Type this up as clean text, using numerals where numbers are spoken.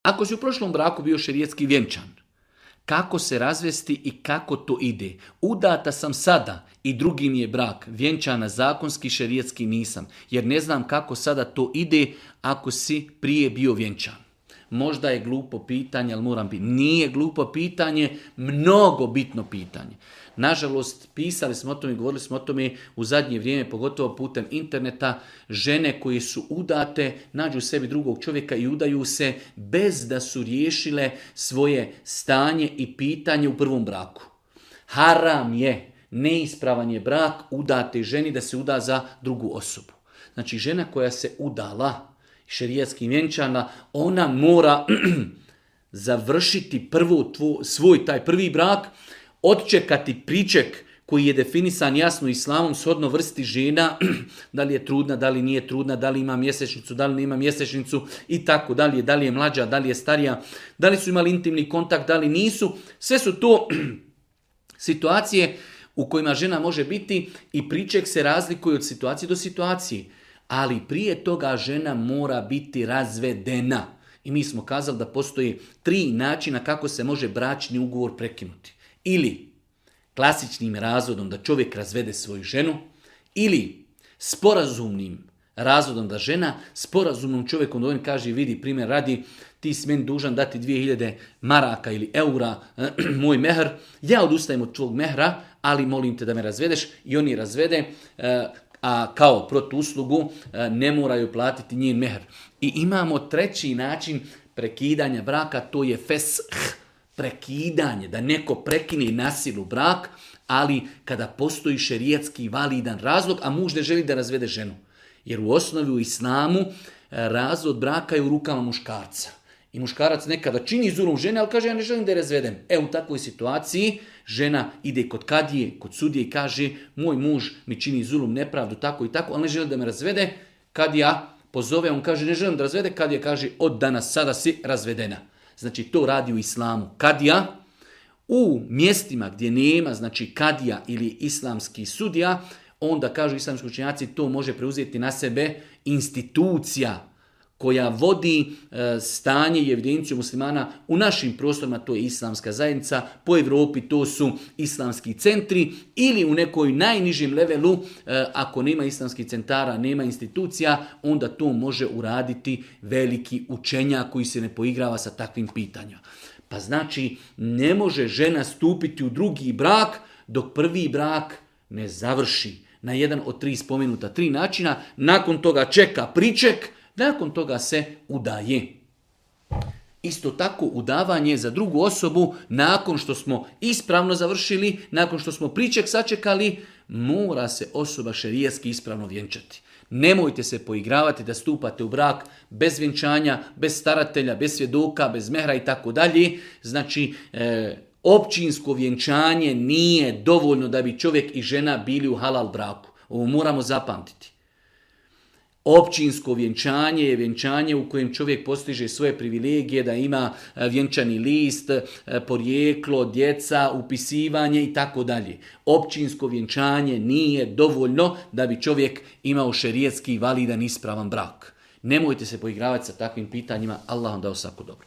Ako si u prošlom braku bio šerijatski vjenčan, kako se razvesti i kako to ide? Udata sam sada i drugi mi je brak, vjenčana zakonski, šerijatski nisam, jer ne znam kako sada to ide ako si prije bio vjenčan. Možda je glupo pitanje, ali moram biti. Nije glupo pitanje, mnogo bitno pitanje. Nažalost, pisali smo o tome i govorili smo o tome u zadnje vrijeme, pogotovo putem interneta, žene koje su udate, nađu sebi drugog čovjeka i udaju se bez da su riješile svoje stanje i pitanje u prvom braku. Haram je, neispravan je brak udate ženi da se uda za drugu osobu. Znači, žena koja se udala, šerijatski vjenčana, ona mora završiti prvo svoj taj prvi brak, odčekati priček koji je definisan jasno islamom shodno vrsti žena, da li je trudna, da li nije trudna, da li ima mjesečnicu, da li nema mjesečnicu i tako dalje, da li je mlađa, da li je starija, da li su imali intimni kontakt, da li nisu. Sve su to situacije u kojima žena može biti i priček se razlikuje od situacije do situacije. Ali prije toga žena mora biti razvedena. I mi smo kazali da postoji 3 načina kako se može bračni ugovor prekinuti. Ili klasičnim razvodom da čovjek razvede svoju ženu, ili sporazumnim razvodom da žena sporazumnom čovjekom dovoljno kaže, vidi, primjer radi, ti si meni dužan dati 2000 maraka ili eura, moj mehr, ja odustajem od tvog mehra, ali molim te da me razvedeš, i on je razvede, a kao protuuslugu ne moraju platiti njen mehr. I imamo 3. način prekidanja braka, to je fesh, prekidanje, da neko prekine na silu brak, ali kada postoji šerijatski validan razlog, a muž ne želi da razvede ženu. Jer u osnovi u islamu razvod braka je u rukama muškarca. I muškarac nekada čini zulum žene, ali kaže, ja ne želim da je razvedem. U takvoj situaciji žena ide kod kadije, kod sudije i kaže, moj muž mi čini zulum, nepravdu, tako i tako, ali ne želi da me razvede. Kadija pozove, on kaže, ne želim da razvede, kadija kaže, od danas sada si razvedena. Znači, to radi u islamu kadija. U mjestima gdje nema, znači kadija ili islamski sudija, onda kažu islamski učenjaci, to može preuzeti na sebe institucija koja vodi stanje i evidenciju muslimana u našim prostorima, to je islamska zajednica, po Europi to su islamski centri, ili u nekoj najnižim levelu, ako nema islamskih centara, nema institucija, onda to može uraditi veliki učenjak koji se ne poigrava sa takvim pitanjima. Pa znači, ne može žena stupiti u drugi brak dok prvi brak ne završi na jedan od 3 spomenuta 3 načina, nakon toga čeka priček, nakon toga se udaje. Isto tako udavanje za drugu osobu, nakon što smo ispravno završili, nakon što smo priček sačekali, mora se osoba šerijatski ispravno vjenčati. Nemojte se poigravati da stupate u brak bez vjenčanja, bez staratelja, bez svjedoka, bez mehra i tako dalje. Znači, općinsko vjenčanje nije dovoljno da bi čovjek i žena bili u halal braku. Ovo moramo zapamtiti. Općinsko vjenčanje je vjenčanje u kojem čovjek postiže svoje privilegije, da ima vjenčani list, porijeklo, djeca, upisivanje i tako dalje. Općinsko vjenčanje nije dovoljno da bi čovjek imao šerijatski validan ispravan brak. Nemojte se poigravati sa takvim pitanjima, Allah vam dao svako dobro.